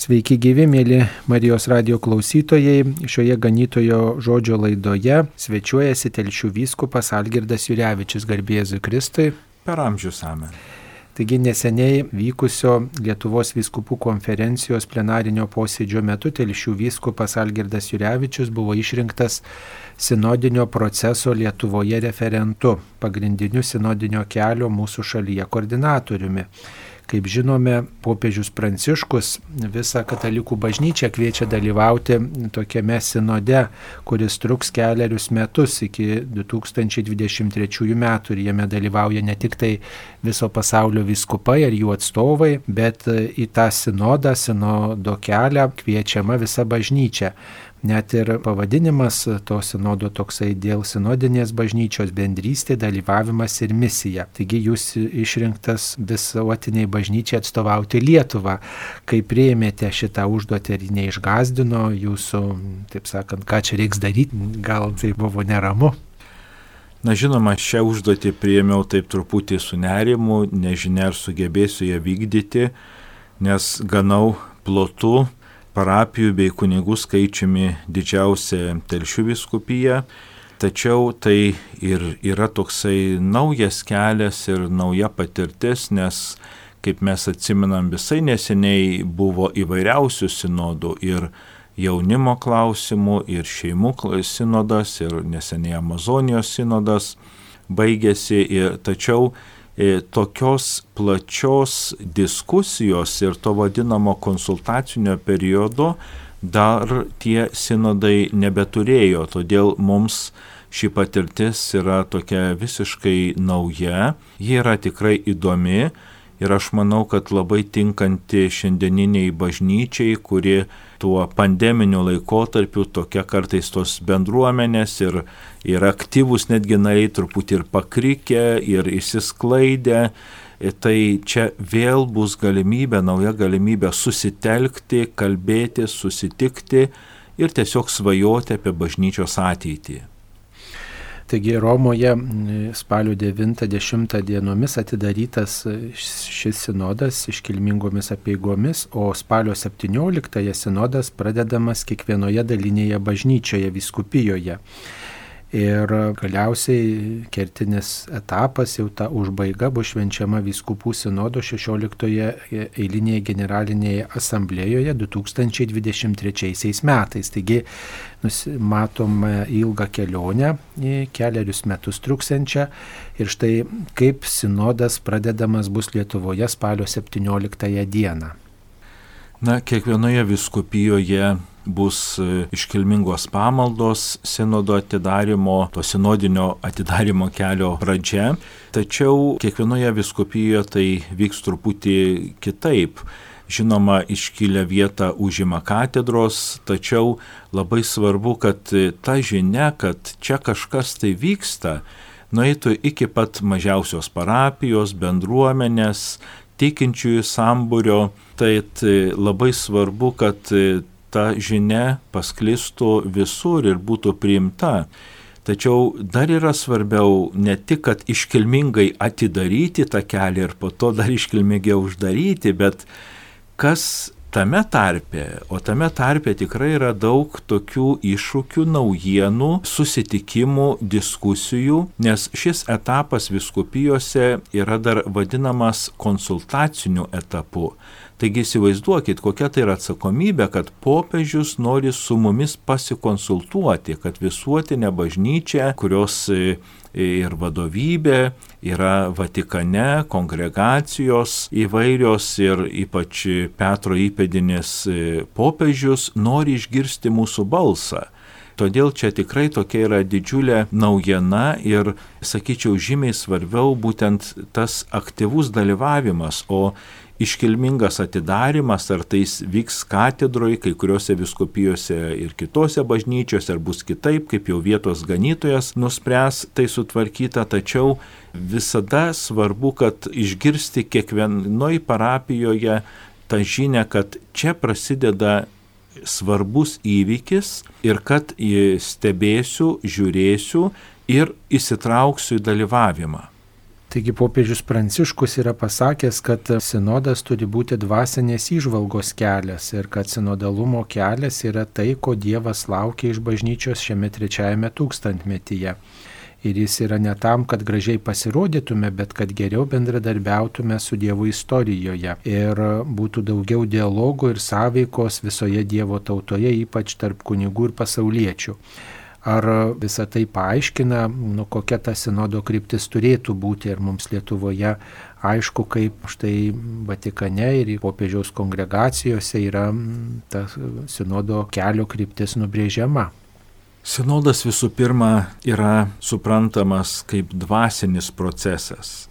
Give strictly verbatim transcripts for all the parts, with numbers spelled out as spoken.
Sveiki gyvi, mėly Marijos radijo klausytojai. Šioje ganytojo žodžio laidoje svečiuojasi Telšių vyskupas Algirdas Jurevičius, garbė Jėzui Kristui. Per amžius amen. Taigi neseniai vykusio Lietuvos vyskupų konferencijos plenarinio posėdžio metu Telšių vyskupas Algirdas Jurevičius buvo išrinktas sinodinio proceso Lietuvoje referentu, pagrindiniu sinodinio kelio mūsų šalyje koordinatoriumi. Kaip žinome, popiežius Pranciškus visą katalikų bažnyčią kviečia dalyvauti tokiame sinode, kuris truks keliarius metus iki du tūkstančiai dvidešimt trečiųjų metų ir jame dalyvauja ne tik tai viso pasaulio vyskupai ar jų atstovai, bet į tą sinodą, sinodo kelią kviečiama visa bažnyčia. Net ir pavadinimas to sinodo toksai dėl sinodinės bažnyčios bendrystė, dalyvavimas ir misija. Taigi jūs išrinktas visuotiniai bažnyčiai atstovauti Lietuvą. Kaip priėmėte šitą užduotį ir neišgąsdino jūsų, taip sakant, ką čia reiks daryti, gal tai buvo neramu? Na žinoma, šią užduotį priėmiau taip truputį su nerimu, nežinia ar sugebėsiu ją vykdyti, nes ganau plotu parapijų bei kunigų skaičiumi didžiausia Telšių vyskupija, tačiau tai ir yra toksai naujas kelias ir nauja patirtis, nes, kaip mes atsimenam, visai neseniai buvo įvairiausių sinodų ir jaunimo klausimų, ir šeimų sinodas, ir neseniai Amazonijos sinodas baigėsi, ir, tačiau E, tokios plačios diskusijos ir to vadinamo konsultacinio periodo dar tie sinodai nebeturėjo, todėl mums ši patirtis yra tokia visiškai nauja, ji yra tikrai įdomi ir aš manau, kad labai tinkanti šiandieniniai bažnyčiai, kuri tuo pandeminiu laikotarpiu tokia kartais tos bendruomenės ir, ir aktyvus netgi nariai truputį ir pakrikę ir išsisklaidę. Tai čia vėl bus galimybė, nauja galimybė susitelkti, kalbėti, susitikti ir tiesiog svajoti apie bažnyčios ateitį. Taigi Romoje spalio devintą dešimtą dienomis atidarytas šis sinodas iškilmingomis apeigomis, o spalio septynioliktąją sinodas pradedamas kiekvienoje dalinėje bažnyčioje, vyskupijoje. Ir galiausiai kertinis etapas, jau ta užbaiga, bus švenčiama vyskupų sinodo šešioliktoje eilinėje generalinėje asamblėjoje du tūkstančiai dvidešimt trečiaisiais metais. Taigi matome ilgą kelionę, keliarius metus truksiančią. Ir štai kaip sinodas pradedamas bus Lietuvoje spalio septynioliktąją dieną. Na, kiekvienoje vyskupijoje bus iškilmingos pamaldos sinodo atidarimo, to sinodinio atidarimo kelio pradžia, tačiau kiekvienoje vyskupijoje tai vyks truputį kitaip. Žinoma, iškilę vietą užima katedros, tačiau labai svarbu, kad ta žinia, kad čia kažkas tai vyksta, nueitų iki pat mažiausios parapijos, bendruomenės, tikinčiųjų sambūrio. Tai labai svarbu, kad ta žinia pasklistų visur ir būtų priimta. Tačiau dar yra svarbiau ne tik, kad iškilmingai atidaryti tą kelią ir po to dar iškilmingiau uždaryti, bet kas tame tarpe, o tame tarpe tikrai yra daug tokių iššūkių, naujienų, susitikimų, diskusijų, nes šis etapas vyskupijose yra dar vadinamas konsultaciniu etapu. Taigi įsivaizduokit, kokia tai yra atsakomybė, kad popiežius nori su mumis pasikonsultuoti, kad visuotinė bažnyčia, kurios ir vadovybė yra Vatikane, kongregacijos įvairios ir ypač Petro įpėdinis popiežius nori išgirsti mūsų balsą. Todėl čia tikrai tokia yra didžiulė naujiena ir, sakyčiau, žymiai svarbiau būtent tas aktyvus dalyvavimas, o iškilmingas atidarimas, ar tai vyks katedroje, kai kuriuose vyskupijose ir kitose bažnyčiose, ar bus kitaip, kaip jau vietos ganytojas nuspręs tai sutvarkyta, tačiau visada svarbu, kad išgirsti kiekvienoj parapijoje tą žinią, kad čia prasideda svarbus įvykis ir kad stebėsiu, žiūrėsiu ir įsitrauksiu į dalyvavimą. Taigi popiežius Pranciškus yra pasakęs, kad sinodas turi būti dvasinės įžvalgos kelias ir kad sinodalumo kelias yra tai, ko Dievas laukia iš bažnyčios šiame trečiajame tūkstantmetyje. Ir jis yra ne tam, kad gražiai pasirodytume, bet kad geriau bendradarbiautume su Dievu istorijoje ir būtų daugiau dialogų ir sąveikos visoje Dievo tautoje, ypač tarp kunigų ir pasauliečių. Ar visą tai paaiškina, nu, kokia ta sinodo kryptis turėtų būti ir mums Lietuvoje aišku, kaip štai Vatikane ir popiežiaus kongregacijose yra ta sinodo kelio kryptis nubrėžiama. Sinodas visų pirma yra suprantamas kaip dvasinis procesas.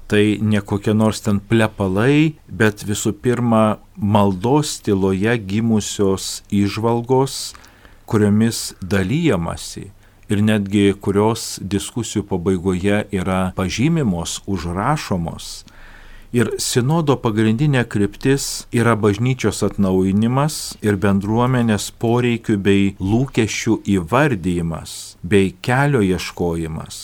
Tai ne kokie nors ten plepalai, bet visų pirma maldos tyloje gimusios įžvalgos, kuriomis dalyjamasi ir netgi kurios diskusijų pabaigoje yra pažymimos, užrašomos. Ir sinodo pagrindinė kryptis yra bažnyčios atnaujinimas ir bendruomenės poreikių bei lūkesčių įvardyjimas bei kelio ieškojimas.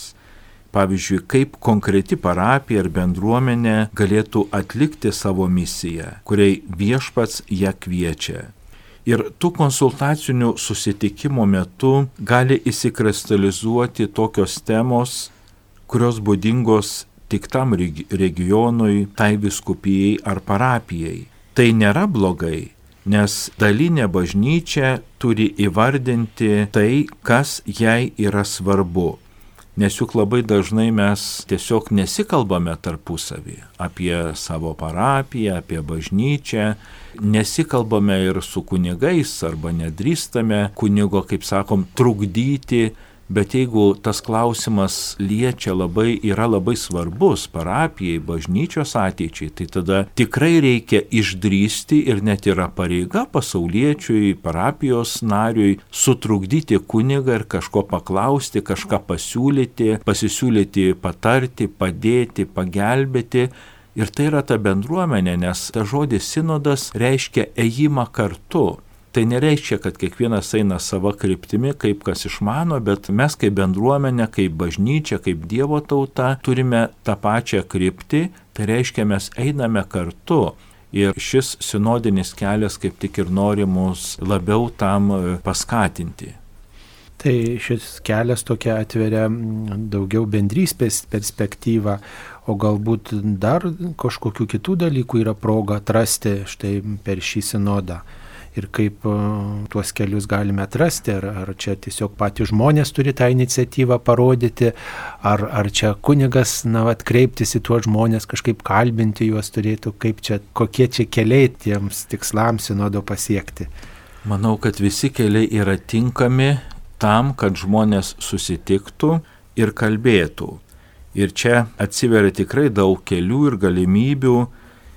Pavyzdžiui, kaip konkreti parapija ar bendruomenė galėtų atlikti savo misiją, kuriai viešpats ją kviečia. Ir tų konsultacinių susitikimo metu gali įsikristalizuoti tokios temos, kurios būdingos tik tam regionui, tai vyskupijai ar parapijai. Tai nėra blogai, nes dalinė bažnyčia turi įvardinti tai, kas jai yra svarbu. Nes juk labai dažnai mes tiesiog nesikalbame tarpusavį apie savo parapiją, apie bažnyčią, nesikalbame ir su kunigais arba nedrįstame kunigo, kaip sakom, trukdyti, bet jeigu tas klausimas liečia labai, yra labai svarbus parapijai, bažnyčios ateičiai, tai tada tikrai reikia išdrįsti ir net yra pareiga pasauliečiui, parapijos nariui sutrukdyti kunigą ir kažko paklausti, kažką pasiūlyti, pasisiūlyti, patarti, padėti, pagelbėti. Ir tai yra ta bendruomenė, nes ta žodis sinodas reiškia ėjimą kartu. Tai nereiškia, kad kiekvienas eina sava kryptimi, kaip kas išmano, bet mes kaip bendruomenė, kaip bažnyčia, kaip Dievo tauta turime tą pačią kryptį, tai reiškia mes einame kartu. Ir šis sinodinis kelias kaip tik ir nori mus labiau tam paskatinti. Tai šis kelias tokia atveria daugiau bendrystės perspektyvą, o galbūt dar kažkokių kitų dalykų yra proga atrasti štai per šį sinodą. Ir kaip tuos kelius galime atrasti, ar, ar čia tiesiog patys žmonės turi tą iniciatyvą parodyti, ar, ar čia kunigas, na, vat, kreiptis į tuos žmonės, kažkaip kalbinti juos turėtų, kaip čia, kokie čia keliai tiems tikslams sinodo pasiekti. Manau, kad visi keliai yra tinkami tam, kad žmonės susitiktų ir kalbėtų. Ir čia atsiveria tikrai daug kelių ir galimybių,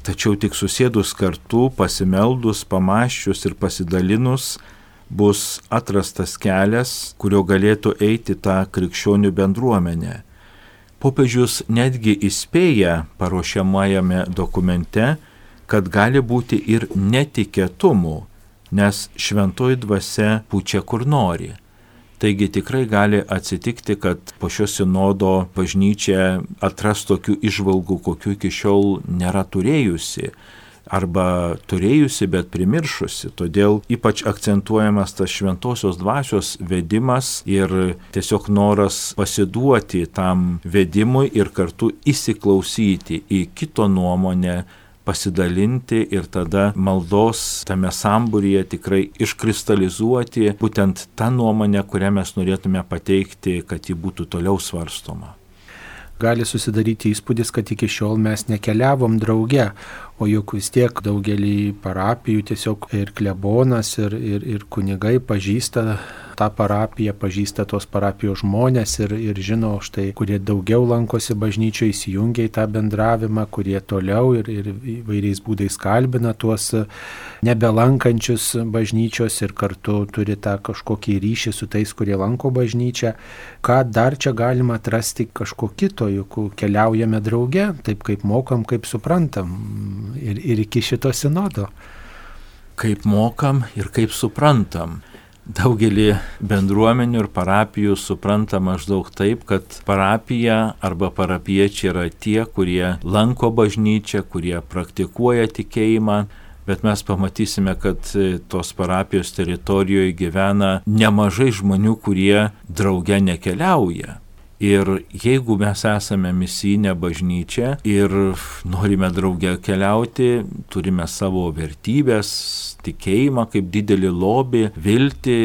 tačiau tik susėdus kartu, pasimeldus, pamąsčius ir pasidalinus, bus atrastas kelias, kurio galėtų eiti tą krikščionių bendruomenę. Popiežius netgi įspėja paruošiamajame dokumente, kad gali būti ir netikėtumų, nes šventoji dvasia pučia kur nori. Taigi tikrai gali atsitikti, kad po šio sinodo bažnyčia atras tokių įžvalgų, kokių iki šiol nėra turėjusi, arba turėjusi, bet primiršusi. Todėl ypač akcentuojamas tas šventosios dvasios vedimas ir tiesiog noras pasiduoti tam vedimui ir kartu įsiklausyti į kito nuomonę, pasidalinti ir tada maldos tame sambūryje tikrai iškristalizuoti būtent tą nuomonę, kurią mes norėtume pateikti, kad ji būtų toliau svarstoma. Gali susidaryti įspūdis, kad iki šiol mes nekeliavom drauge, o juk vis tiek daugelį parapijų tiesiog ir klebonas, ir, ir, ir kunigai pažįsta tą parapiją, pažįsta tos parapijos žmonės ir, ir žino štai, kurie daugiau lankosi bažnyčioje, įsijungia į tą bendravimą, kurie toliau ir, ir įvairiais būdais kalbina tuos nebelankančius bažnyčios ir kartu turi tą kažkokį ryšį su tais, kurie lanko bažnyčią. Ką dar čia galima atrasti kažko kito, juk keliaujame drauge, taip kaip mokam, kaip suprantam ir, ir iki šito sinodo. Kaip mokam ir kaip suprantam. daugelį bendruomenių ir parapijų supranta maždaug taip, kad parapija arba parapiečiai yra tie, kurie lanko bažnyčią, kurie praktikuoja tikėjimą, bet mes pamatysime, kad tos parapijos teritorijoje gyvena nemažai žmonių, kurie drauge nekeliauja. Ir jeigu mes esame misijinė bažnyčia ir norime drauge keliauti, turime savo vertybės, tikėjimą kaip didelį lobį, viltį,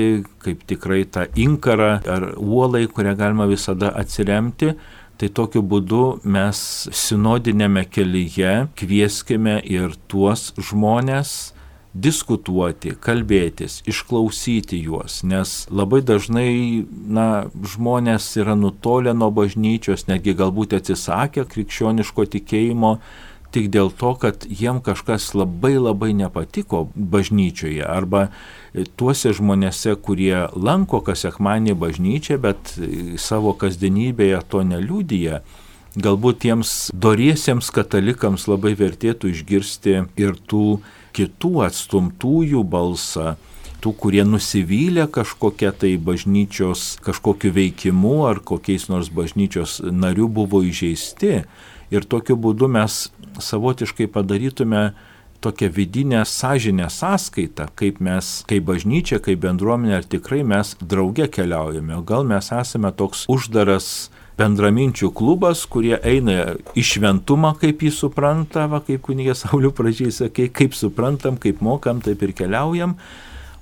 kaip tikrai tą inkarą ar uolą, į kurią galima visada atsiremti, tai tokiu būdu mes sinodinėme kelyje kvieskime ir tuos žmonės diskutuoti, kalbėtis, išklausyti juos, nes labai dažnai na, žmonės yra nutolę nuo bažnyčios, netgi galbūt atsisakę krikščioniško tikėjimo, tik dėl to, kad jiem kažkas labai labai nepatiko bažnyčioje, arba tuose žmonėse, kurie lanko kas sekmadienį bažnyčią, bet savo kasdienybėje to neliudija. Galbūt tiems doriesiems katalikams labai vertėtų išgirsti ir tų kitų atstumtųjų balsą, tų, kurie nusivylė kažkokia tai bažnyčios kažkokiu veikimu ar kokiais nors bažnyčios narių buvo įžeisti. Ir tokiu būdu mes savotiškai padarytume tokią vidinę sąžinę sąskaitą, kaip mes, kaip bažnyčia, kaip bendruomenė, ar tikrai mes drauge keliaujame. O gal mes esame toks uždaras bendraminčių klubas, kurie eina į šventumą, kaip jį supranta, va, kaip kunigas Saulius pradžiai sakė, kaip suprantam, kaip mokam, taip ir keliaujam.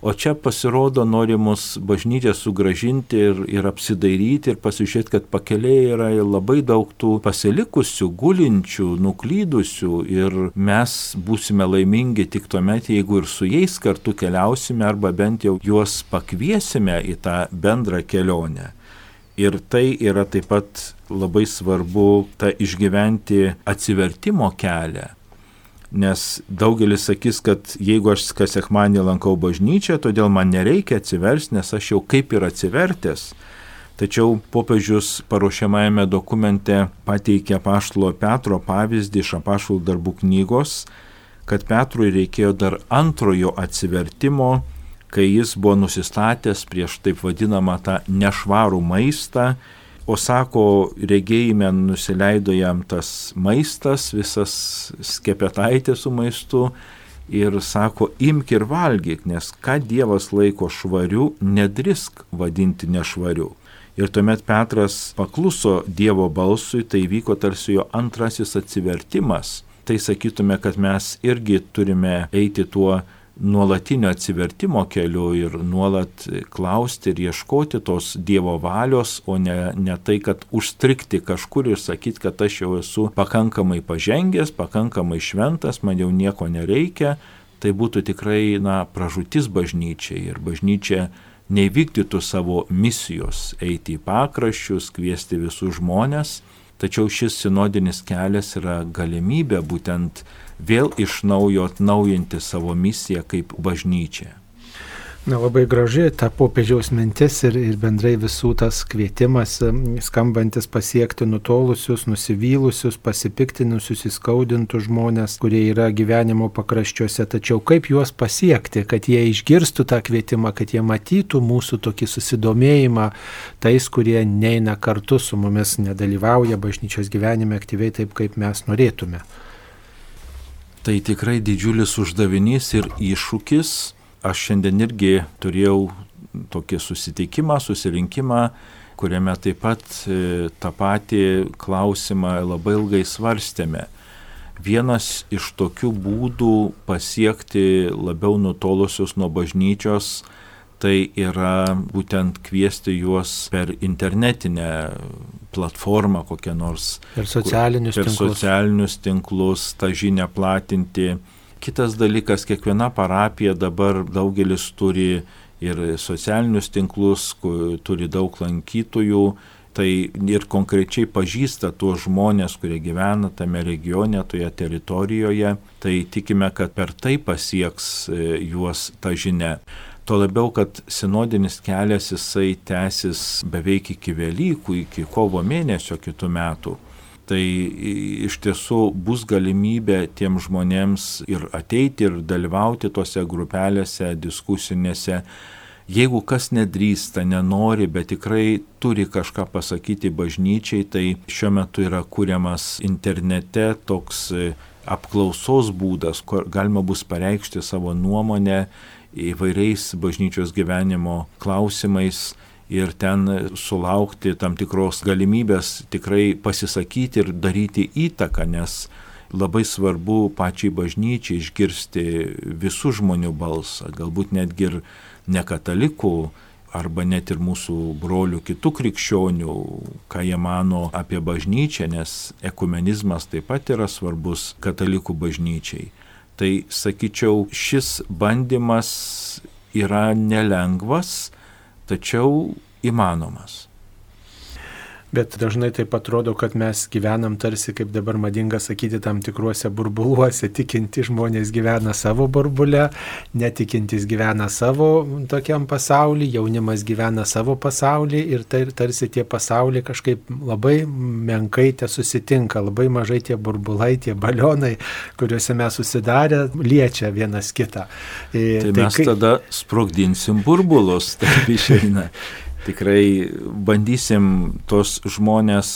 O čia pasirodo nori mus bažnyčią sugražinti ir, ir apsidairyti ir pasižiūrėti, kad pakeliai yra labai daug tų pasilikusių, gulinčių, nuklydusių ir mes būsime laimingi tik tuomet, jeigu ir su jais kartu keliausime arba bent jau juos pakviesime į tą bendrą kelionę. Ir tai yra taip pat labai svarbu tą išgyventi atsivertimo kelią. Nes daugelis sakys, kad jeigu aš kas sekmadienį lankau bažnyčią, todėl man nereikia atsiversti, nes aš jau kaip ir atsivertęs. Tačiau popiežius paruošiamajame dokumente pateikė apaštalo Petro pavyzdį iš apaštalų darbų knygos, kad Petrui reikėjo dar antrojo atsivertimo, kai jis buvo nusistatęs prieš taip vadinamą tą nešvarų maistą, o sako, regėjime nusileido jam tas maistas, visas skepetaitė su maistu ir sako, imk ir valgyk, nes ką Dievas laiko švariu, nedrisk vadinti nešvariu. Ir tuomet Petras pakluso Dievo balsui, tai vyko tarsi jo antrasis atsivertimas. Tai sakytume, kad mes irgi turime eiti tuo nuolatinio atsivertimo keliu ir nuolat klausti ir ieškoti tos Dievo valios, o ne, ne tai, kad užstrikti kažkur ir sakyti, kad aš jau esu pakankamai pažengęs, pakankamai šventas, man jau nieko nereikia. Tai būtų tikrai na, pražūtis bažnyčiai ir bažnyčia neįvykdytų savo misijos eiti į pakraščius, kviesti visus žmonės. Tačiau šis sinodinis kelias yra galimybė būtent vėl iš naujo atnaujinti savo misiją kaip bažnyčia. Na, labai graži ta popiežiaus mintis ir, ir bendrai visų tas kvietimas skambantis pasiekti nutolusius, nusivylusius, pasipiktinusius, įskaudintus žmonės, kurie yra gyvenimo pakraščiuose. Tačiau kaip juos pasiekti, kad jie išgirstų tą kvietimą, kad jie matytų mūsų tokį susidomėjimą tais, kurie neina kartu su mumis, nedalyvauja bažnyčios gyvenime aktyviai taip, kaip mes norėtume. Tai tikrai didžiulis uždavinys ir iššūkis. Aš šiandien irgi turėjau tokį susitikimą, susirinkimą, kuriame taip pat tą patį klausimą labai ilgai svarstėme. Vienas iš tokių būdų pasiekti labiau nutolusius nuo bažnyčios, tai yra būtent kviesti juos per internetinę platformą kokią nors. Per socialinius per tinklus. Per socialinius tinklus tą žinią platinti. Kitas dalykas, kiekviena parapija dabar daugelis turi ir socialinius tinklus, turi daug lankytojų, tai ir konkrečiai pažįsta tuos žmonės, kurie gyvena tame regione, toje teritorijoje, tai tikime, kad per tai pasieks juos ta žinia. Tuo labiau, kad sinodinis kelias jisai tęsis beveik iki Velykų, iki kovo mėnesio kitų metų. Tai iš tiesų bus galimybė tiem žmonėms ir ateiti ir dalyvauti tose grupelėse, diskusinėse. jeigu kas nedrįsta, nenori, bet tikrai turi kažką pasakyti bažnyčiai, tai šiuo metu yra kuriamas internete toks apklausos būdas, kur galima bus pareikšti savo nuomonę įvairiais bažnyčios gyvenimo klausimais ir ten sulaukti tam tikros galimybės tikrai pasisakyti ir daryti įtaką, nes labai svarbu pačiai bažnyčiai išgirsti visų žmonių balsą, galbūt netgi ir ne katalikų, arba net ir mūsų brolių kitų krikščionių, ką jie mano apie bažnyčią, nes ekumenizmas taip pat yra svarbus katalikų bažnyčiai. Tai sakyčiau, šis bandymas yra nelengvas, tačiau įmanomas. Bet dažnai taip atrodo, kad mes gyvenam tarsi, kaip dabar madinga sakyti, tam tikruose burbuluose. Tikinti žmonės gyvena savo burbule, netikintis gyvena savo tokiam pasauly, jaunimas gyvena savo pasauly ir tai, tarsi tie pasauliai kažkaip labai menkai te susitinka, labai mažai tie burbulai, tie balionai, kuriuose mes susidarę, liečia vienas kitą. E, tai, tai mes kai... tada sprogdinsim burbulus, taip išeina. Tikrai bandysim tos žmonės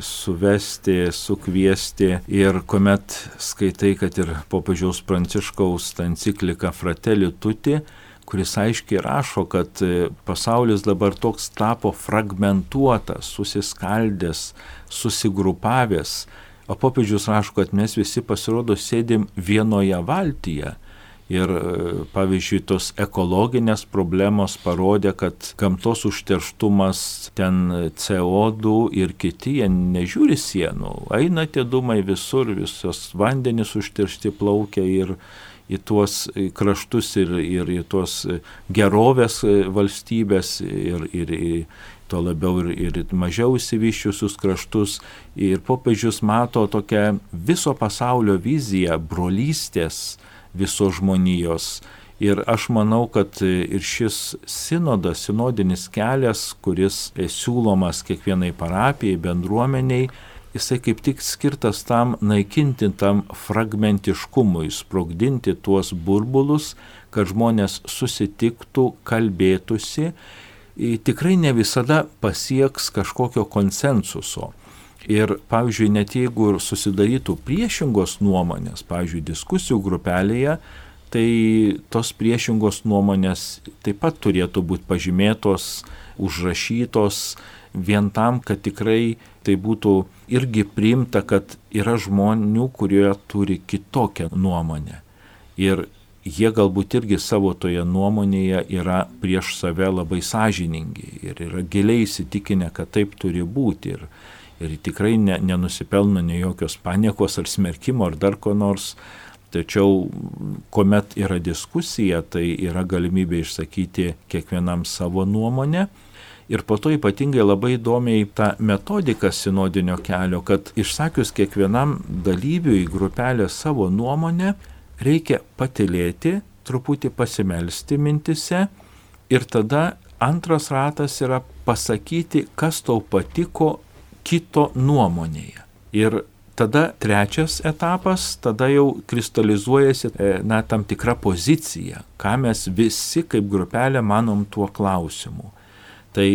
suvesti, sukviesti ir kuomet skaitai, kad ir popiežiaus Pranciškaus ta enciklika Fratelli Tutti, kuris aiškiai rašo, kad pasaulis dabar toks tapo fragmentuotas, susiskaldęs, susigrupavęs, o popiežius rašo, kad mes visi pasirodo sėdim vienoje valtyje. Ir pavyzdžiui, tos ekologinės problemos parodė, kad gamtos užterštumas, ten C O du ir kiti, jie nežiūri sienų. Eina tie dūmai visur, visos vandenys užteršti plaukia ir į tuos kraštus ir, ir į tuos gerovės valstybės ir, ir į to labiau ir, ir mažiau įsivyščiusius kraštus. Ir popiežius mato tokią viso pasaulio viziją brolystės visos žmonijos. Ir aš manau, kad ir šis sinodas, sinodinis kelias, kuris siūlomas kiekvienai parapijai, bendruomeniai, jisai kaip tik skirtas tam naikinti tam fragmentiškumui, sprogdinti tuos burbulus, kad žmonės susitiktų, kalbėtųsi. Tikrai ne visada pasieks kažkokio konsensuso. Ir, pavyzdžiui, net jeigu susidarytų priešingos nuomonės, pavyzdžiui, diskusijų grupelėje, tai tos priešingos nuomonės taip pat turėtų būti pažymėtos, užrašytos, vien tam, kad tikrai tai būtų irgi priimta, kad yra žmonių, kurie turi kitokią nuomonę. Ir jie galbūt irgi savo toje nuomonėje yra prieš save labai sąžiningi ir yra giliai įsitikinę, kad taip turi būti. Ir Ir tikrai ne, nenusipelno ne jokios paniekos ar smerkimo ar dar ko nors, tačiau kuomet yra diskusija, tai yra galimybė išsakyti kiekvienam savo nuomonę. Ir po to ypatingai labai įdomiai ta metodika sinodinio kelio, kad išsakius kiekvienam dalyviui grupelę savo nuomonę, reikia patylėti, truputį pasimelsti mintise ir tada antras ratas yra pasakyti, kas tau patiko kito nuomonėje. Ir tada trečias etapas, tada jau kristalizuojasi na, tam tikra pozicija, ką mes visi kaip grupelė manom tuo klausimu. Tai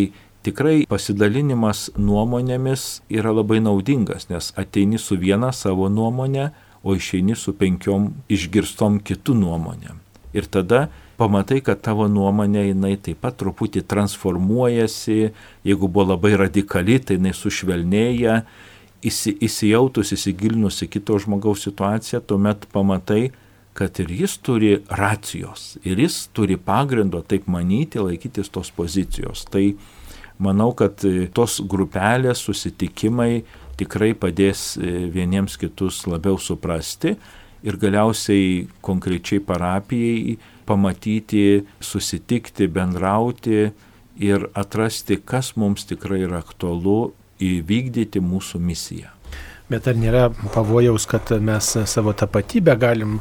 tikrai pasidalinimas nuomonėmis yra labai naudingas, nes ateini su viena savo nuomonė, o išeini su penkiom išgirstom kitų nuomonėm. Ir tada pamatai, kad tavo nuomonė jinai taip pat truputį transformuojasi, jeigu buvo labai radikali, tai jinai sušvelnėja, įsi, įsijautus, įsigilinus į kito žmogaus situaciją, tuomet pamatai, kad ir jis turi racijos, ir jis turi pagrindo taip manyti, laikytis tos pozicijos. Tai manau, kad tos grupelės susitikimai tikrai padės vieniems kitus labiau suprasti ir galiausiai konkrečiai parapijai pamatyti, susitikti, bendrauti ir atrasti, kas mums tikrai yra aktualu, įvykdyti mūsų misiją. Bet ar nėra pavojaus, kad mes savo tapatybę galim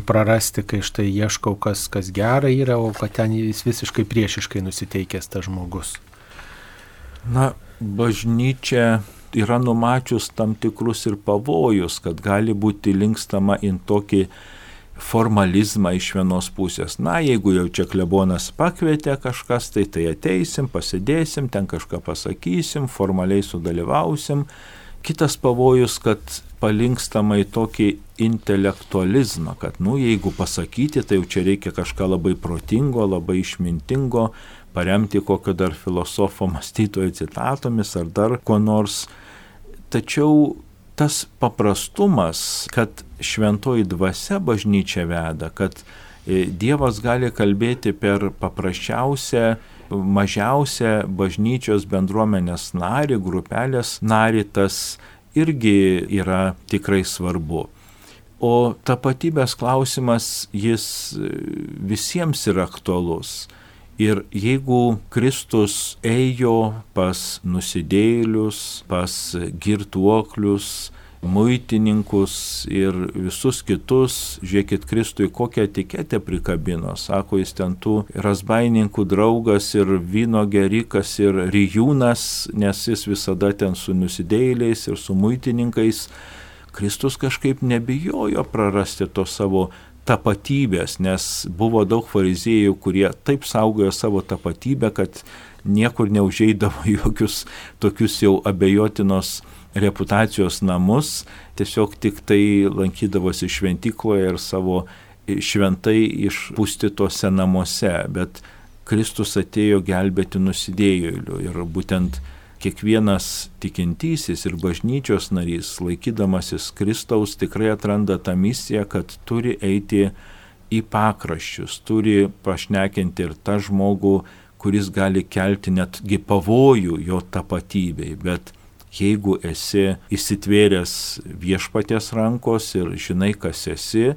prarasti, kai štai ieškau, kas, kas gera yra, o kad ten jis visiškai priešiškai nusiteikęs tas žmogus? Na, bažnyčia yra numačius tam tikrus ir pavojus, kad gali būti linkstama į tokį formalizmą iš vienos pusės. Na, jeigu jau čia klebonas pakvietė kažkas, tai tai ateisim, pasidėsim, ten kažką pasakysim, formaliai sudalyvausim. Kitas pavojus, kad palinkstama į tokį intelektualizmą, kad, nu, jeigu pasakyti, tai jau čia reikia kažką labai protingo, labai išmintingo, paremti kokio dar filosofo mąstytojo citatomis ar dar ko nors. Tačiau tas paprastumas, kad šventoji dvasia bažnyčia veda, kad Dievas gali kalbėti per paprasčiausią, mažiausią bažnyčios bendruomenės narį, grupelės narį, tas irgi yra tikrai svarbu. O tapatybės klausimas, jis visiems yra aktualus. Ir jeigu Kristus ėjo pas nusidėjėlius, pas girtuoklius, muitininkus ir visus kitus, žiūrėkit, Kristui kokią etiketę prikabino. Sako, jis ten tų razbaininkų draugas ir vyno gerikas ir rijūnas, nes jis visada ten su nusidėjėliais ir su muitininkais. Kristus kažkaip nebijojo prarasti to savo tapatybės, nes buvo daug fariziejų, kurie taip saugojo savo tapatybę, kad niekur neužeidavo jokius tokius jau abejotinos reputacijos namus, tiesiog tik tai lankydavosi šventykloje ir savo šventai išpustytose namuose, bet Kristus atėjo gelbėti nusidėjėlių ir būtent kiekvienas tikintysis ir bažnyčios narys, laikydamasis Kristaus, tikrai atranda tą misiją, kad turi eiti į pakraščius, turi pašnekinti ir tą žmogų, kuris gali kelti netgi pavojų jo tapatybei. Bet jeigu esi įsitvėręs viešpaties rankos ir žinai, kas esi,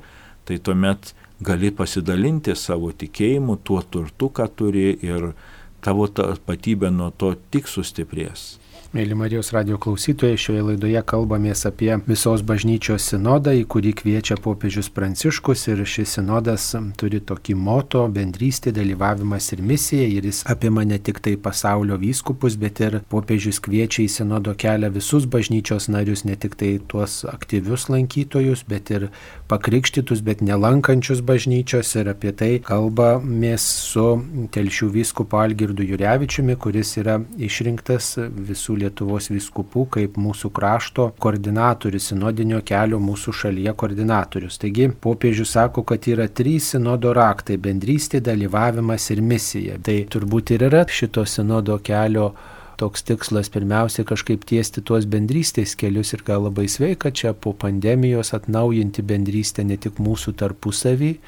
tai tuomet gali pasidalinti savo tikėjimu, tuo turtu, ką turi, ir tavo tapatybė nuo to tik sustiprės. Mėly Marijos radijo klausytojai, šioje laidoje kalbamės apie visos bažnyčios sinodą, į kurį kviečia popiežius Pranciškus, ir šis sinodas turi tokį moto – bendrystė, dalyvavimas ir misija, ir jis apima ne tik tai pasaulio vyskupus, bet ir popiežius kviečia į sinodo kelią visus bažnyčios narius, ne tik tai tuos aktyvius lankytojus, bet ir pakrikštytus, bet nelankančius bažnyčios, ir apie tai kalbamės su Telšių vyskupu Algirdu Jurevičiumi, kuris yra išrinktas visų Lietuvos vyskupų kaip mūsų krašto koordinatorius, sinodinio kelio mūsų šalyje koordinatorius. Taigi popiežius sako, kad yra trys sinodo raktai – bendrystė, dalyvavimas ir misija. Tai turbūt ir yra šito sinodo kelio toks tikslas, pirmiausia kažkaip tiesti tuos bendrystės kelius, ir gal labai sveika čia po pandemijos atnaujinti bendrystę ne tik mūsų tarpusavį,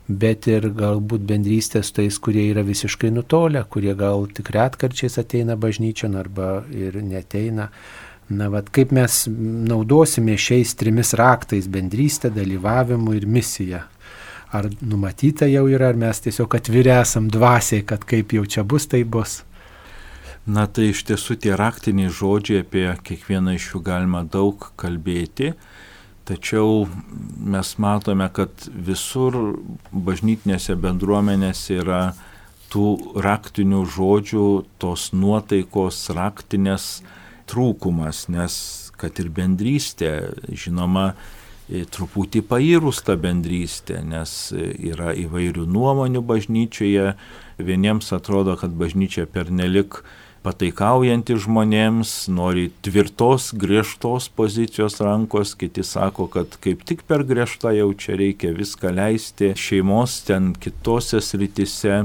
bet ir galbūt bendrystės tais, kurie yra visiškai nutolę, kurie gal tik retkarčiais ateina bažnyčion arba ir neteina. Na, vat, kaip mes naudosime šiais trimis raktais – bendrystę, dalyvavimu ir misiją? Ar numatyta jau yra, ar mes tiesiog atviri esam dvasiai, kad kaip jau čia bus, tai bus? Na, tai iš tiesų tie raktiniai žodžiai, apie kiekvieną iš jų galima daug kalbėti. Tačiau mes matome, kad visur bažnytinėse bendruomenėse yra tų raktinių žodžių, tos nuotaikos raktinės trūkumas, nes kad ir bendrystė, žinoma, truputį pairus ta bendrystė, nes yra įvairių nuomonių bažnyčioje. Vieniems atrodo, kad bažnyčia pernelik pataikaujanti žmonėms, nori tvirtos, griežtos pozicijos rankos, kiti sako, kad kaip tik per griežtą jau čia reikia viską leisti šeimos ten kitose srityse.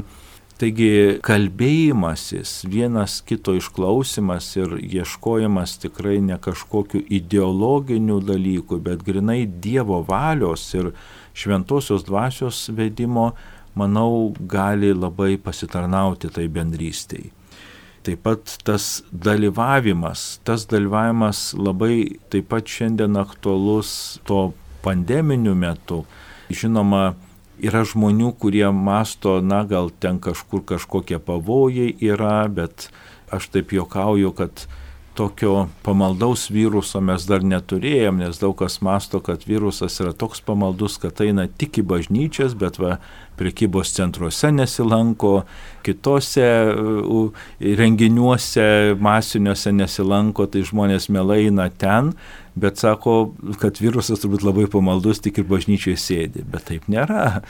Taigi kalbėjimasis, vienas kito išklausimas ir ieškojimas tikrai ne kažkokių ideologinių dalykų, bet grinai Dievo valios ir šventosios dvasios vedimo, manau, gali labai pasitarnauti tai bendrystei. Taip pat tas dalyvavimas, tas dalyvavimas labai taip pat šiandien aktualus to pandeminiu metu. Žinoma, yra žmonių, kurie masto, na gal ten kažkur kažkokie pavojai yra, bet aš taip juokauju, kad tokio pamaldaus viruso mes dar neturėjom, nes daug kas masto, kad virusas yra toks pamaldus, kad eina tik į bažnyčias, bet va, prekybos centruose nesilanko, kitose renginiuose masiniuose nesilanko, tai žmonės mielai eina ten, bet sako, kad virusas turbūt labai pamaldus, tik ir bažnyčioje sėdi, bet taip nėra.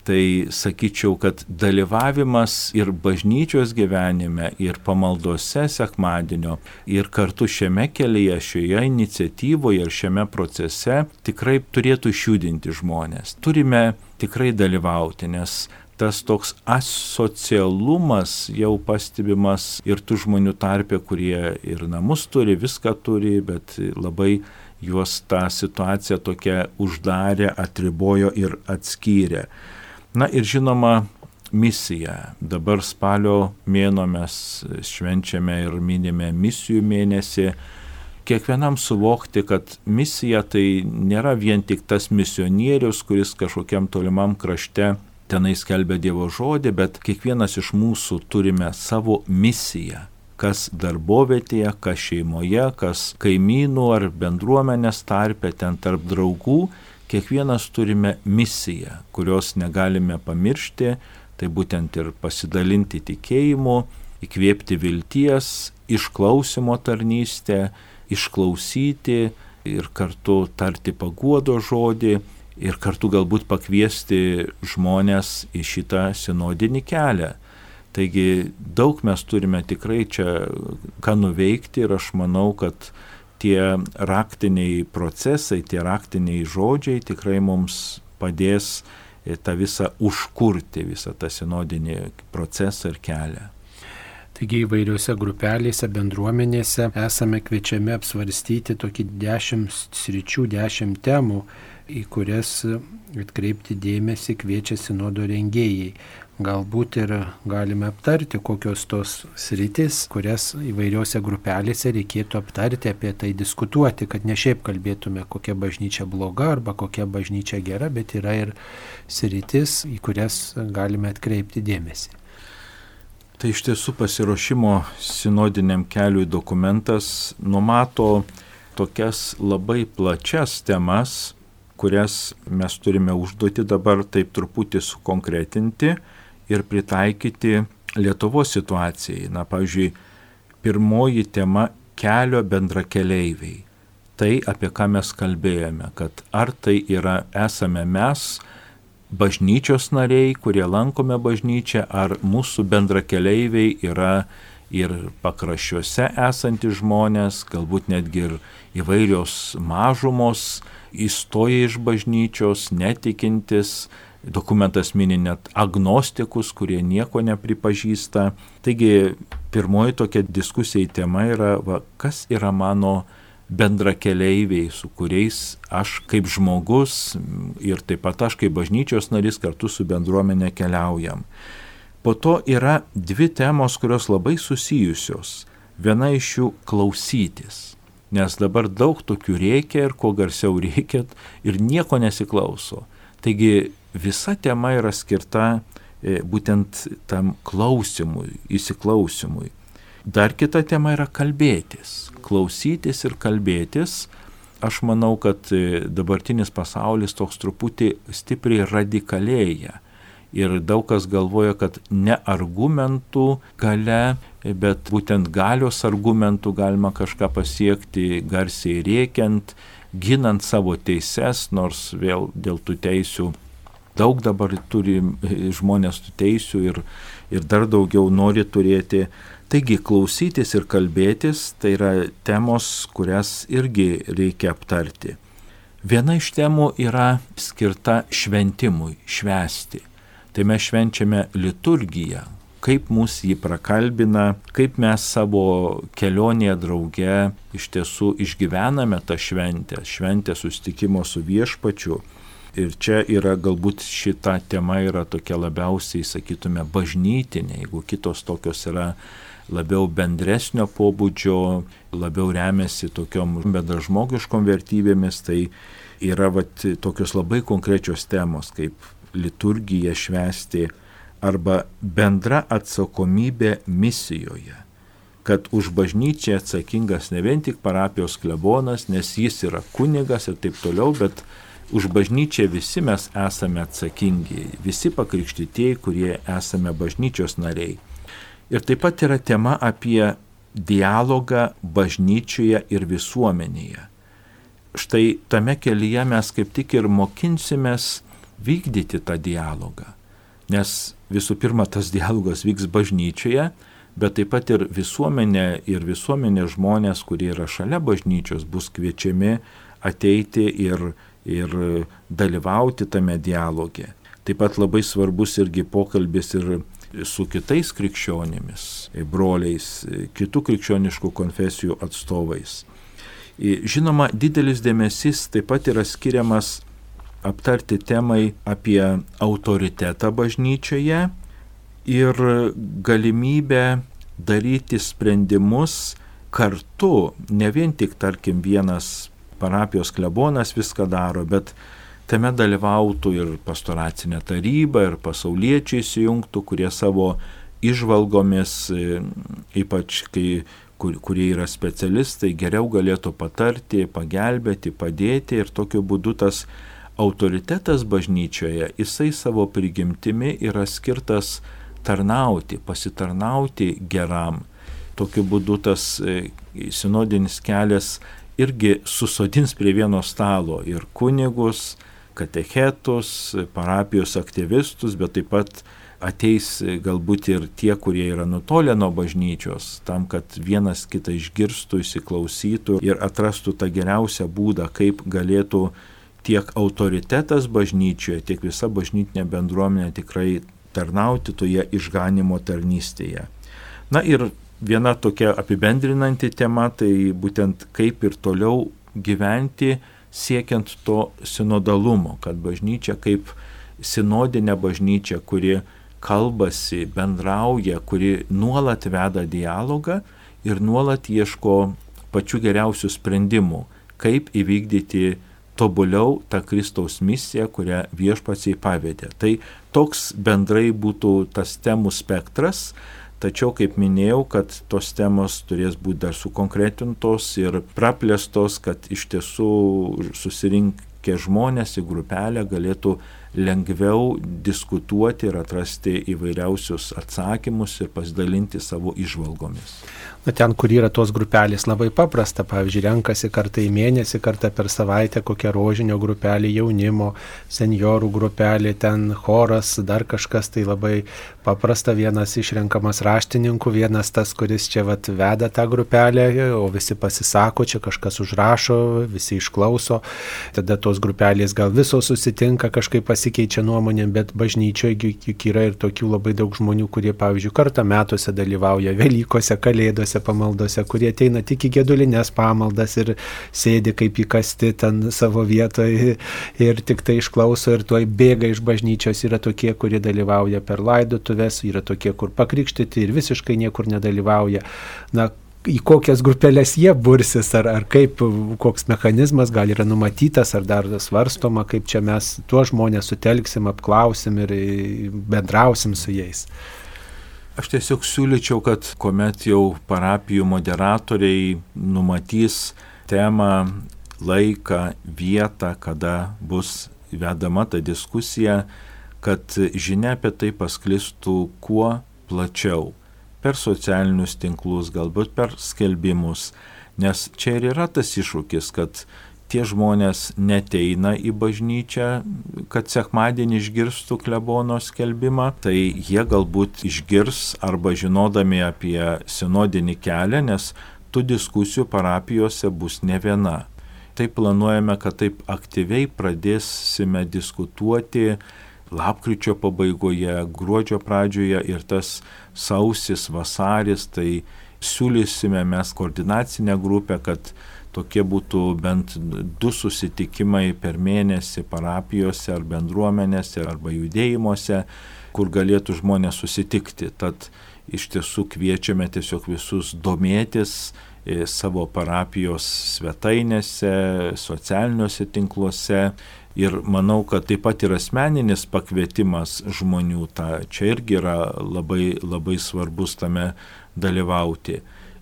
Tai sakyčiau, kad dalyvavimas ir bažnyčios gyvenime, ir pamaldose sekmadienio, ir kartu šiame kelyje, šioje iniciatyvoje ir šiame procese tikrai turėtų išjudinti žmonės. Turime tikrai dalyvauti, nes tas toks asocialumas jau pastebimas ir tų žmonių tarpe, kurie ir namus turi, viską turi, bet labai juos tą situaciją tokia uždarė, atribojo ir atskyrė. Na ir žinoma, misija. Dabar spalio mėnuo mes švenčiame ir minime misijų mėnesį. Kiekvienam suvokti, kad misija tai nėra vien tik tas misionierius, kuris kažkokiam tolimam krašte tenai skelbia Dievo žodį, bet kiekvienas iš mūsų turime savo misiją. Kas darbovietėje, kas šeimoje, kas kaimynų ar bendruomenės tarpe, ten tarp draugų. Kiekvienas turime misiją, kurios negalime pamiršti, tai būtent ir pasidalinti tikėjimu, įkvėpti vilties, išklausimo tarnystę, išklausyti ir kartu tarti paguodo žodį ir kartu galbūt pakviesti žmonės į šitą sinodinį kelią. Taigi daug mes turime tikrai čia ką nuveikti ir aš manau, kad tie raktiniai procesai, tie raktiniai žodžiai tikrai mums padės tą visą užkurti, visą tą sinodinį procesą ir kelią. Taigi įvairiuose grupelėse, bendruomenėse esame kviečiami apsvarstyti tokį dešimt sričių, dešimt temų, į kurias atkreipti dėmesį kviečia sinodo rengėjai. Galbūt ir galime aptarti, kokios tos sritis, kurias įvairiose grupelėse reikėtų aptarti, apie tai diskutuoti, kad ne šiaip kalbėtume, kokia bažnyčia bloga arba kokia bažnyčia gera, bet yra ir sritis, į kurias galime atkreipti dėmesį. Tai iš tiesų pasiruošimo sinodiniam keliui dokumentas numato tokias labai plačias temas, kurias mes turime užduoti dabar taip truputį sukonkretinti ir pritaikyti Lietuvos situacijai. Na, pavyzdžiui, pirmoji tema – kelio bendrakeleiviai. Tai, apie ką mes kalbėjome, kad ar tai yra, esame mes, bažnyčios nariai, kurie lankome bažnyčią, ar mūsų bendrakeleiviai yra ir pakraščiuose esantys žmonės, galbūt netgi ir įvairios mažumos, įstoja iš bažnyčios, netikintis, dokumentas mini net agnostikus, kurie nieko nepripažįsta. Taigi, pirmoji tokia diskusija tema yra, va, kas yra mano bendrakeleiviai, su kuriais aš kaip žmogus ir taip pat aš kaip bažnyčios narys kartu su bendruomenė keliaujam. Po to yra dvi temos, kurios labai susijusios. Viena iš jų klausytis. Nes dabar daug tokių reikia ir kuo garsiau reikia ir nieko nesiklauso. Taigi visa tema yra skirta e, būtent tam klausimui, įsiklausimui. Dar kita tema yra kalbėtis, klausytis ir kalbėtis. Aš manau, kad e, dabartinis pasaulis toks truputį stipriai radikalėja. Ir daug kas galvoja, kad ne argumentų galia, bet būtent galios argumentų galima kažką pasiekti garsiai rėkiant, ginant savo teises, nors vėl dėl tų teisių daug dabar turi žmonės tų teisių ir, ir dar daugiau nori turėti. Taigi klausytis ir kalbėtis tai yra temos, kurias irgi reikia aptarti. Viena iš temų yra skirta šventimui, švęsti. Tai mes švenčiame liturgiją, kaip mus jį prakalbina, kaip mes savo kelionėje drauge iš tiesų išgyvename tą šventę, šventę susitikimo su viešpačiu. Ir čia yra galbūt šita tema yra tokia labiausiai, sakytume, bažnytinė, jeigu kitos tokios yra labiau bendresnio pobūdžio, labiau remiasi tokiom bendražmogiškom vertybėmis, tai yra vat, tokios labai konkrečios temos, kaip liturgiją švęsti arba bendra atsakomybė misijoje. kad už bažnyčią atsakingas ne vien tik parapijos klebonas, nes jis yra kunigas ir taip toliau, bet už bažnyčią visi mes esame atsakingi, visi pakrikštytieji, kurie esame bažnyčios nariai. Ir taip pat yra tema apie dialogą bažnyčioje ir visuomenėje. Štai tame kelyje mes kaip tik ir mokinsimės vykdyti tą dialogą, nes visų pirma tas dialogas vyks bažnyčioje, bet taip pat ir visuomenė ir visuomenės žmonės, kurie yra šalia bažnyčios, bus kviečiami ateiti ir, ir dalyvauti tame dialoge. Taip pat labai svarbus irgi pokalbis ir su kitais krikščionimis, broliais, kitų krikščioniškų konfesijų atstovais. Žinoma, didelis dėmesys taip pat yra skiriamas aptarti temai apie autoritetą bažnyčioje ir galimybę daryti sprendimus kartu, ne vien tik, tarkim, vienas parapijos klebonas viską daro, bet tame dalyvautų ir pastoracinė taryba, ir pasauliečiai įsijungtų, kurie savo įžvalgomis, ypač kai, kur, kurie yra specialistai, geriau galėtų patarti, pagelbėti, padėti ir tokiu būdu tas autoritetas bažnyčioje, jisai savo prigimtimi yra skirtas tarnauti, pasitarnauti geram. Tokiu būdu tas sinodinis kelias irgi susodins prie vieno stalo ir kunigus, katechetus, parapijos aktyvistus, bet taip pat ateis galbūt ir tie, kurie yra nutolę nuo bažnyčios, tam, kad vienas kitą išgirstų, įsiklausytų ir atrastų tą geriausią būdą, kaip galėtų tiek autoritetas bažnyčioje, tiek visa bažnytinė bendruomenė tikrai tarnauti toje išganimo tarnystėje. Na ir viena tokia apibendrinanti tema, tai būtent kaip ir toliau gyventi siekiant to sinodalumo, kad bažnyčia kaip sinodinė bažnyčia, kuri kalbasi, bendrauja, kuri nuolat veda dialogą ir nuolat ieško pačių geriausių sprendimų, kaip įvykdyti tobuliau tą Kristaus misiją, kurią viešpats jai pavedė. Tai toks bendrai būtų tas temų spektras, tačiau, kaip minėjau, kad tos temos turės būti dar sukonkretintos ir praplėstos, kad iš tiesų susirinkę žmonės į grupelę galėtų lengviau diskutuoti ir atrasti įvairiausius atsakymus ir pasidalinti savo įžvalgomis. Na, ten, kur yra tos grupelės, labai paprasta. Pavyzdžiui, renkasi kartą į mėnesį, kartą per savaitę kokią rožinio grupelį, jaunimo, seniorų grupelį, ten choras, dar kažkas, tai labai paprasta. Vienas išrenkamas raštininku, vienas tas, kuris čia vat veda tą grupelę, o visi pasisako, čia kažkas užrašo, visi išklauso. Tada tos grupelės gal visos susitinka, kažkaip pasikeičia nuomonėm, bet bažnyčioje juk yra ir tokių labai daug žmonių, kurie, pavyzdžiui, kartą metuose dalyvauja Velykose, Kalėdose, pamaldose, kurie ateina tik į gedulinės pamaldas ir sėdi kaip įkasti ten savo vietoje ir tik tai išklauso ir tuoj bėga iš bažnyčios. Yra tokie, kurie dalyvauja per laidotuves, yra tokie, kur pakrikštyti ir visiškai niekur nedalyvauja. Na, į kokias grupelės jie bursis, ar, ar kaip, koks mechanizmas gal yra numatytas, ar dar svarstoma, kaip čia mes tuos žmonės sutelksim, apklausim ir bendrausim su jais. Aš tiesiog siūlyčiau, kad kuomet jau parapijų moderatoriai numatys temą, laiką, vietą, kada bus vedama ta diskusija, kad žinia apie tai pasklistų kuo plačiau, per socialinius tinklus, galbūt per skelbimus, nes čia ir yra tas iššūkis, kad tie žmonės neteina į bažnyčią, kad sekmadienį išgirstų klebono skelbimą, tai jie galbūt išgirs arba žinodami apie sinodinį kelią, nes tų diskusijų parapijose bus ne viena. Tai planuojame, kad taip aktyviai pradėsime diskutuoti lapkričio pabaigoje, gruodžio pradžioje ir tas sausis, vasaris, tai siūlysime mes koordinacinę grupę, kad tokie būtų bent du susitikimai per mėnesį parapijose ar bendruomenėse arba judėjimuose, kur galėtų žmonės susitikti. Tad iš tiesų kviečiame tiesiog visus domėtis savo parapijos svetainėse, socialiniuose tinkluose ir manau, kad taip pat ir asmeninis pakvietimas žmonių, ta, čia irgi yra labai, labai svarbus tame dalyvauti.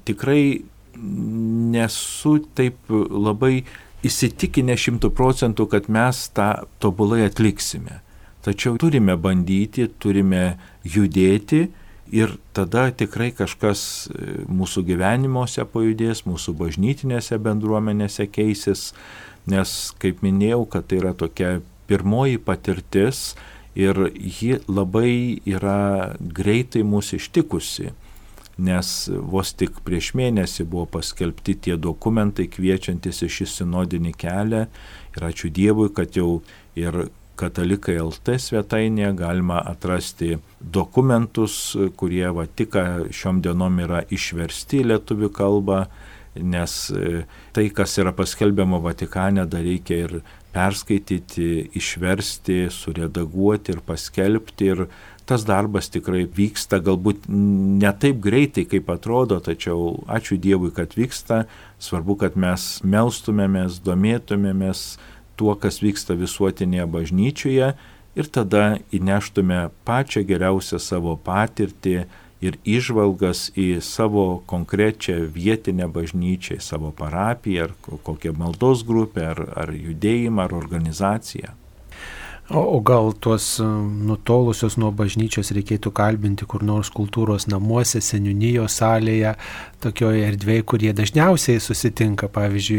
tikrai nesu taip labai įsitikinę šimtų procentų, kad mes tą tobulai atliksime. Tačiau turime bandyti, turime judėti ir tada tikrai kažkas mūsų gyvenimuose pajudės, mūsų bažnytinėse bendruomenėse keisis, nes, kaip minėjau, kad tai yra tokia pirmoji patirtis ir ji labai yra greitai mūsų ištikusi, nes vos tik prieš mėnesį buvo paskelbti tie dokumentai kviečiantis į šį sinodinį kelią ir ačiū Dievui, kad jau ir Katalikai L T svetainėje galima atrasti dokumentus, kurie va tik šiom dienom yra išversti į lietuvių kalbą, nes tai, kas yra paskelbiama Vatikane, dar reikia ir perskaityti, išversti, suredaguoti ir paskelbti. Ir tas darbas tikrai vyksta, galbūt ne taip greitai, kaip atrodo, tačiau ačiū Dievui, kad vyksta. Svarbu, kad mes melstumėmės, domėtumėmės tuo, kas vyksta visuotinėje bažnyčioje ir tada įneštume pačią geriausią savo patirtį ir įžvalgas į savo konkrečią vietinę bažnyčią, į savo parapiją, ar kokią maldos grupę, ar, ar judėjimą, ar organizaciją. O, o gal tuos nutolusios nuo bažnyčios reikėtų kalbinti kur nors kultūros namuose, seniūnijos salėje, tokioje erdvėje, kurie dažniausiai susitinka, pavyzdžiui,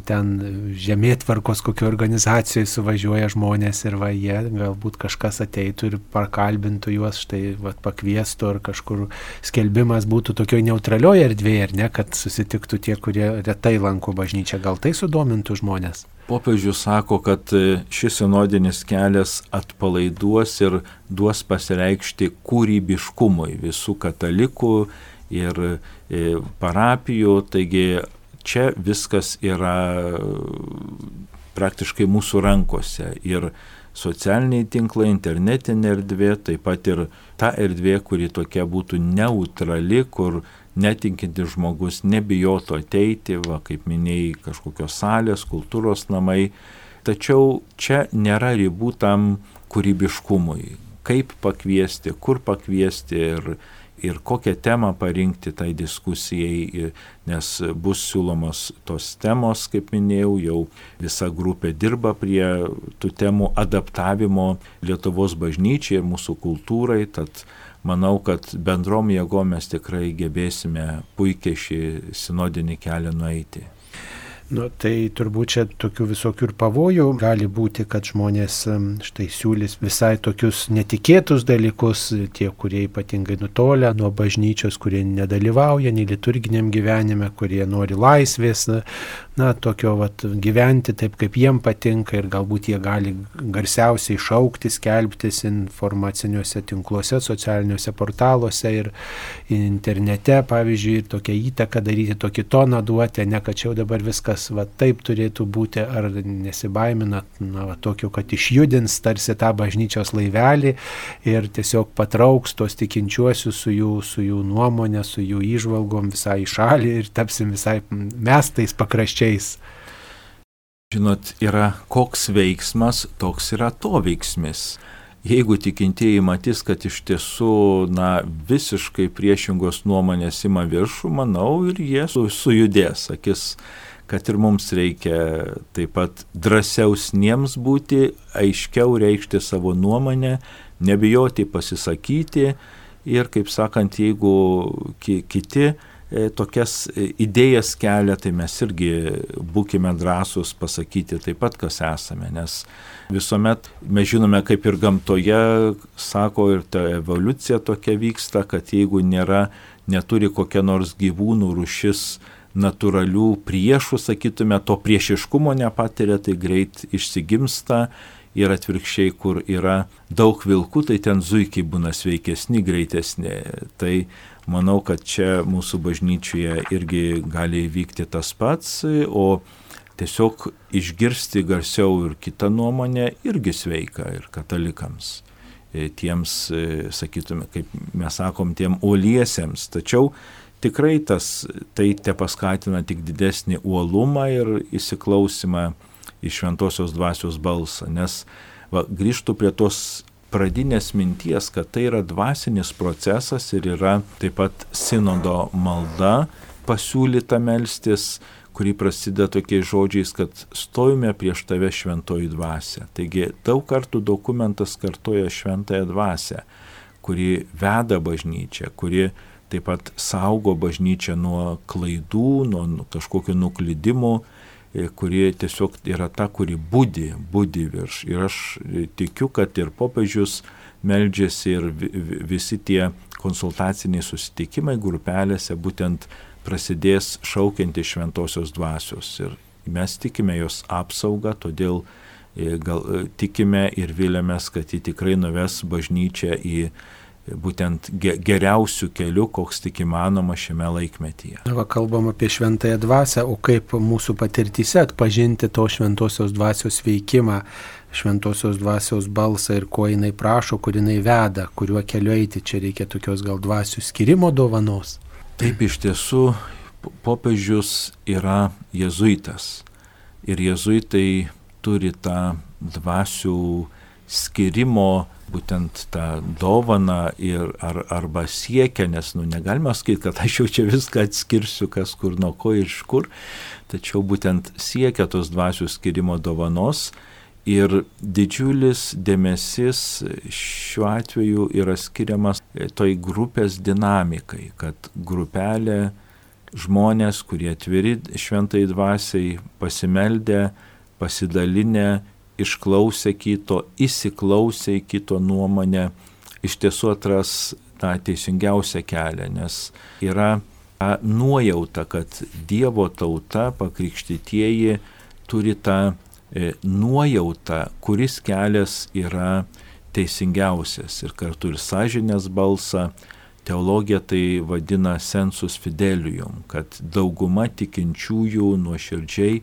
ten žemėtvarkos kokio organizacijoje suvažiuoja žmonės ir va jie galbūt kažkas ateitų ir pakalbintų juos, štai va, pakviestų, ar kažkur skelbimas būtų tokioje neutralioje erdvėje, ar ne, kad susitiktų tie, kurie retai lanko bažnyčią, gal tai sudomintų žmonės? Popiežius sako, kad šis sinodinis kelias atpalaiduos ir duos pasireikšti kūrybiškumui visų katalikų ir parapijų, taigi čia viskas yra praktiškai mūsų rankose ir socialiniai tinklai, internetinė erdvė, taip pat ir ta erdvė, kuri tokia būtų neutrali, kur netikintis žmogus nebijotų ateiti, va, kaip minėjai, kažkokios salės, kultūros namai. Tačiau čia nėra ribų tam kūrybiškumui. Kaip pakviesti, kur pakviesti ir, ir kokią temą parinkti tai diskusijai, nes bus siūlomos tos temos, kaip minėjau, jau visa grupė dirba prie tų temų adaptavimo Lietuvos bažnyčiai ir mūsų kultūrai, tad manau, kad bendrom jėgom mes tikrai gebėsime puikiai šį sinodinį kelią nueiti. Nu, tai turbūt čia tokių visokių ir pavojų gali būti, kad žmonės štai siūlys visai tokius netikėtus dalykus, tie, kurie ypatingai nutolę nuo bažnyčios, kurie nedalyvauja nei liturginiam gyvenime, kurie nori laisvės, na, tokio vat, gyventi taip, kaip jiem patinka ir galbūt jie gali garsiausiai šaukti, skelbtis informaciniuose tinkluose, socialiniuose portaluose ir internete, pavyzdžiui, ir tokią įtaką daryti, tokį toną duoti, ne kad čia dabar viskas va taip turėtų būti, ar nesibaiminat, na, va, tokio, kad išjudins tarsi tą bažnyčios laivelį ir tiesiog patrauks tos tikinčiuosius su jų, su jų nuomonė, su jų įžvalgom visai šalį ir tapsim visai mestais pakraščiais. Žinot, yra koks veiksmas, toks yra to veiksmis. Jeigu tikintieji matys, kad iš tiesų, na, visiškai priešingos nuomonės ima viršų, manau, ir jie su, sujudės, sakys, kad ir mums reikia taip pat drąsiausniems būti, aiškiau reikšti savo nuomonę, nebijoti pasisakyti ir, kaip sakant, jeigu ki- kiti e, tokias idėjas kelia, tai mes irgi būkime drąsūs pasakyti taip pat, kas esame, nes visuomet mes žinome, kaip ir gamtoje, sako, ir ta evoliucija tokia vyksta, kad jeigu nėra, neturi kokia nors gyvūnų rūšis natūralių priešų, sakytume, to priešiškumo nepatiria, tai greit išsigimsta ir atvirkščiai, kur yra daug vilkų, tai ten zuikiai būna sveikesni, greitesni. Tai manau, kad čia mūsų bažnyčioje irgi gali vykti tas pats, o tiesiog išgirsti garsiau ir kitą nuomonę irgi sveika ir katalikams. Tiems, sakytume, kaip mes sakom, tiem uoliesiems. Tačiau tikrai tas, tai te paskatina tik didesnį uolumą ir įsiklausimą į šventosios dvasios balsą, nes va, grįžtų prie tos pradinės minties, kad tai yra dvasinis procesas ir yra taip pat sinodo malda pasiūlyta melstis, kuri prasideda tokiais žodžiais, kad stojame prieš tave šventoji dvasia. Taigi daug kartų dokumentas kartoja šventąją dvasią, kuri veda bažnyčią, kuri taip pat saugo bažnyčią nuo klaidų, nuo kažkokių nuklydimų, kuri tiesiog yra ta, kuri budi, budi virš. Ir aš tikiu, kad ir popiežius meldžiasi ir visi tie konsultaciniai susitikimai grupelėse būtent prasidės šaukianti šventosios dvasios. Ir mes tikime jos apsaugą, todėl gal tikime ir vilėmės, kad ji tikrai nuves bažnyčią į būtent geriausių kelių, koks tik įmanoma šiame laikmetyje. Va, kalbam apie šventąją dvasią, o kaip mūsų patirtyse atpažinti to šventosios dvasios veikimą, šventosios dvasios balsą ir ko jinai prašo, kur jinai veda, kuriuo keliu eiti. Čia reikia tokios gal dvasių skirimo dovanos. Taip, iš tiesų, popiežius yra jėzuitas ir jėzuitai turi tą dvasių skirimo, būtent tą dovaną ir ar, arba siekia, nes nu, negalima sakyti, kad aš jau čia viską atskirsiu, kas kur nuo ko ir iš kur, tačiau būtent siekia tos dvasių skirimo dovanos ir didžiulis dėmesys šiuo atveju yra skiriamas toj grupės dinamikai, kad grupelė žmonės, kurie atviri šventai dvasiai, pasimeldę, pasidalinę, išklausę kito, įsiklausę į kito nuomonę, iš tiesų atras tą teisingiausią kelią, nes yra ta nuojauta, kad Dievo tauta, pakrikštytieji, turi tą e, nuojautą, kuris kelias yra teisingiausias ir kartu ir sąžinės balsą. Teologija tai vadina sensus fidelium, kad dauguma tikinčiųjų nuoširdžiai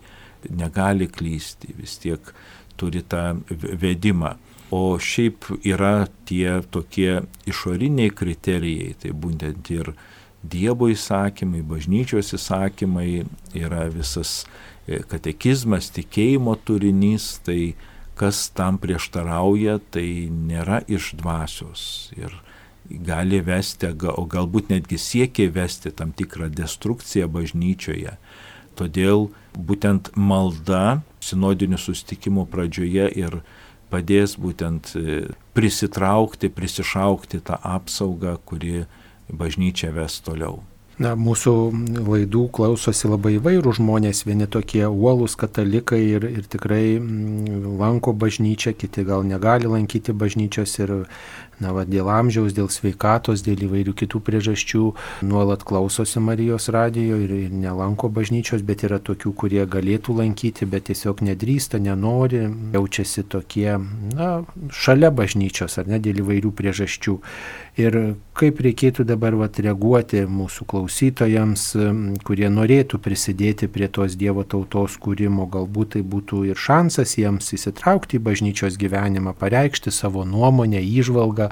negali klysti, vis tiek turi tą vedimą. O šiaip yra tie tokie išoriniai kriterijai, tai būtent ir Dievo įsakymai, bažnyčios įsakymai, yra visas katekizmas, tikėjimo turinys, tai kas tam prieštarauja, tai nėra iš dvasios ir gali vesti, o galbūt netgi siekia vesti tam tikrą destrukciją bažnyčioje. Todėl būtent malda sinodinių susitikimų pradžioje ir padės būtent prisitraukti, prisišaukti tą apsaugą, kuri bažnyčia ves toliau. Na, mūsų laidų klausosi labai įvairių žmonės, vieni tokie uolūs katalikai ir, ir tikrai lanko bažnyčią, kiti gal negali lankyti bažnyčios ir na, va, dėl amžiaus, dėl sveikatos, dėl įvairių kitų priežasčių nuolat klausosi Marijos radijo ir, ir nelanko bažnyčios, bet yra tokių, kurie galėtų lankyti, bet tiesiog nedrįsta, nenori, jaučiasi tokie, na, šalia bažnyčios ar ne, dėl įvairių priežasčių. Ir kaip reikėtų dabar vat, reaguoti mūsų klausytojams, kurie norėtų prisidėti prie tos Dievo tautos kūrimo, galbūt tai būtų ir šansas jiems įsitraukti į bažnyčios gyvenimą, pareikšti savo nuomonę, įžvalgą,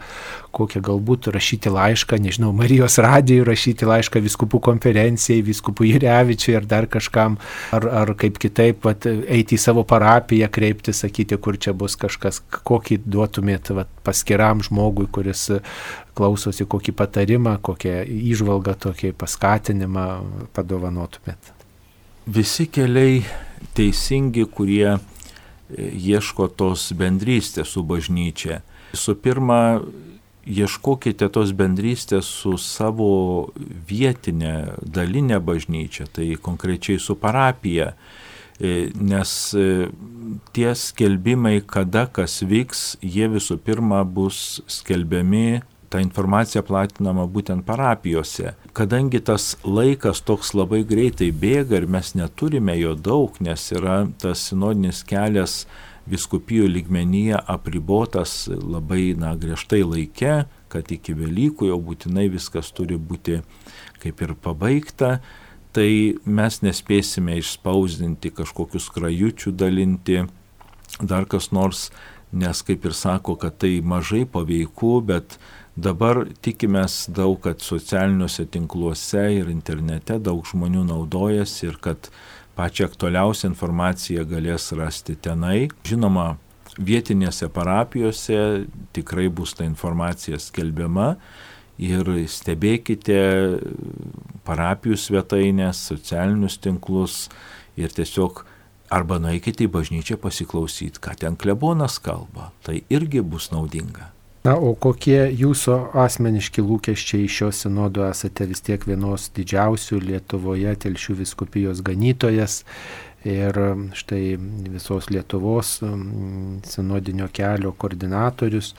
kokią galbūt rašyti laišką, nežinau, Marijos radijui, rašyti laišką vyskupų konferencijai, vyskupui Jurevičiui ar dar kažkam, ar, ar kaip kitaip vat, eiti į savo parapiją, kreipti, sakyti, kur čia bus kažkas, kokį duotumėt vat, paskiram žmogui, kuris klausosi, kokį patarimą, kokią įžvalgą, tokį paskatinimą padovanotumėt. Visi keliai teisingi, kurie ieško tos bendrystės su bažnyčia. Su pirma, ieškokite tos bendrystės su savo vietinė dalinė bažnyčia, tai konkrečiai su parapija, nes tie skelbimai, kada kas vyks, jie visų pirma bus skelbiami, ta informacija platinama būtent parapijose. Kadangi tas laikas toks labai greitai bėga ir mes neturime jo daug, nes yra tas sinodinis kelias vyskupijų lygmenyje apribotas labai na, griežtai laike, kad iki Velykų jau būtinai viskas turi būti kaip ir pabaigta, tai mes nespėsime išspausdinti kažkokius krajučių dalinti, dar kas nors, nes kaip ir sako, kad tai mažai paveiku, bet dabar tikimės daug, kad socialiniuose tinkluose ir internete daug žmonių naudojasi ir kad pačią aktualiausią informaciją galės rasti tenai. Žinoma, vietinėse parapijose tikrai bus ta informacija skelbiama ir stebėkite parapijų svetainės, socialinius tinklus ir tiesiog arba nueikite į bažnyčią pasiklausyti, ką ten klebonas kalba. Tai irgi bus naudinga. Na, o kokie jūsų asmeniški lūkesčiai iš šio sinodo? Esate vis tiek vienos didžiausių Lietuvoje Telšių vyskupijos ganytojas ir štai visos Lietuvos sinodinio kelio koordinatorius.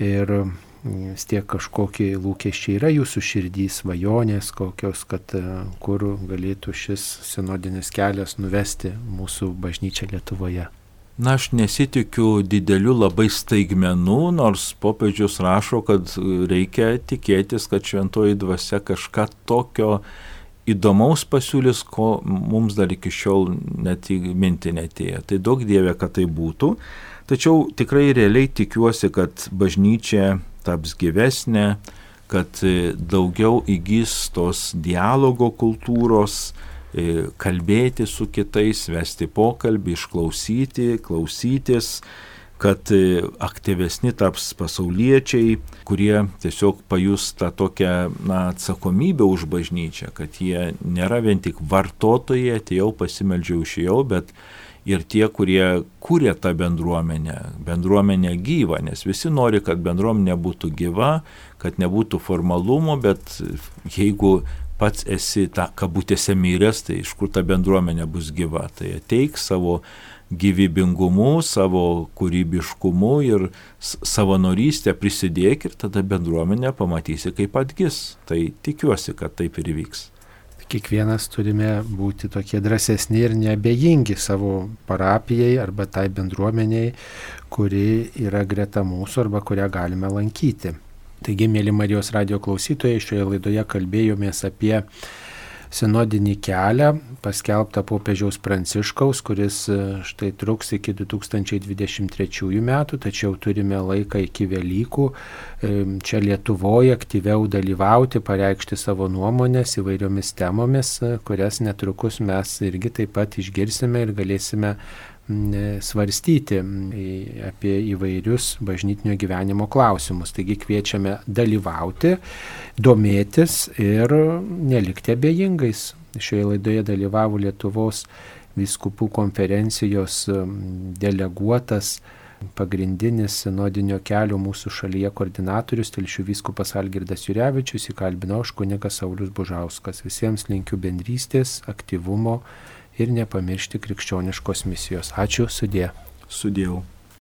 Ir vis tiek kažkokie lūkesčiai yra jūsų širdys, svajonės kokios, kad kur galėtų šis sinodinis kelias nuvesti mūsų bažnyčią Lietuvoje. Na, aš nesitikiu didelių labai staigmenų, nors popiežius rašo, kad reikia tikėtis, kad šventoji dvasia kažką tokio įdomaus pasiūlys, ko mums dar iki šiol net į mintį netėjo. Tai daug dievė, kad tai būtų. Tačiau tikrai realiai tikiuosi, kad bažnyčia taps gyvesnė, kad daugiau įgys tos dialogo kultūros, kalbėti su kitais, vesti pokalbį, išklausyti, klausytis, kad aktyvesni taps pasauliečiai, kurie tiesiog pajus tą tokią na, atsakomybę už bažnyčią, kad jie nėra vien tik vartotojai, atėjau, pasimeldžiau, išėjau, bet ir tie, kurie kūrė tą bendruomenę, bendruomenę gyvą, nes visi nori, kad bendruomenė būtų gyva, kad nebūtų formalumo, bet jeigu pats esi tą kabutėse miręs, tai iš kur ta bendruomenė bus gyva. Tai ateik savo gyvybingumu, savo kūrybiškumu ir savanorystę prisidėk ir tada bendruomenę pamatysi, kaip atgis. Tai tikiuosi, kad taip ir įvyks. Kiekvienas turime būti tokie drąsesni ir neabejingi savo parapijai arba tai bendruomeniai, kuri yra greta mūsų arba kurią galime lankyti. Taigi, mėly Marijos radijo klausytojai, šioje laidoje kalbėjomės apie sinodinį kelią, paskelbtą popiežiaus Pranciškaus, kuris štai truks iki du tūkstančiai dvidešimt trečiųjų metų, tačiau turime laiką iki Velykų čia Lietuvoje aktyviau dalyvauti, pareikšti savo nuomonės įvairiomis temomis, kurias netrukus mes irgi taip pat išgirsime ir galėsime svarstyti apie įvairius bažnytinio gyvenimo klausimus. Taigi kviečiame dalyvauti, domėtis ir nelikti abejingais. Šioje laidoje dalyvavo Lietuvos vyskupų konferencijos deleguotas pagrindinis sinodinio kelio mūsų šalyje koordinatorius Telšių vyskupas Algirdas Jurevičius, įkalbinau aš kunigas Saulius Bužauskas. Visiems linkiu bendrystės, aktyvumo ir nepamiršti krikščioniškos misijos. Ačiū, sudie. Sudėjau.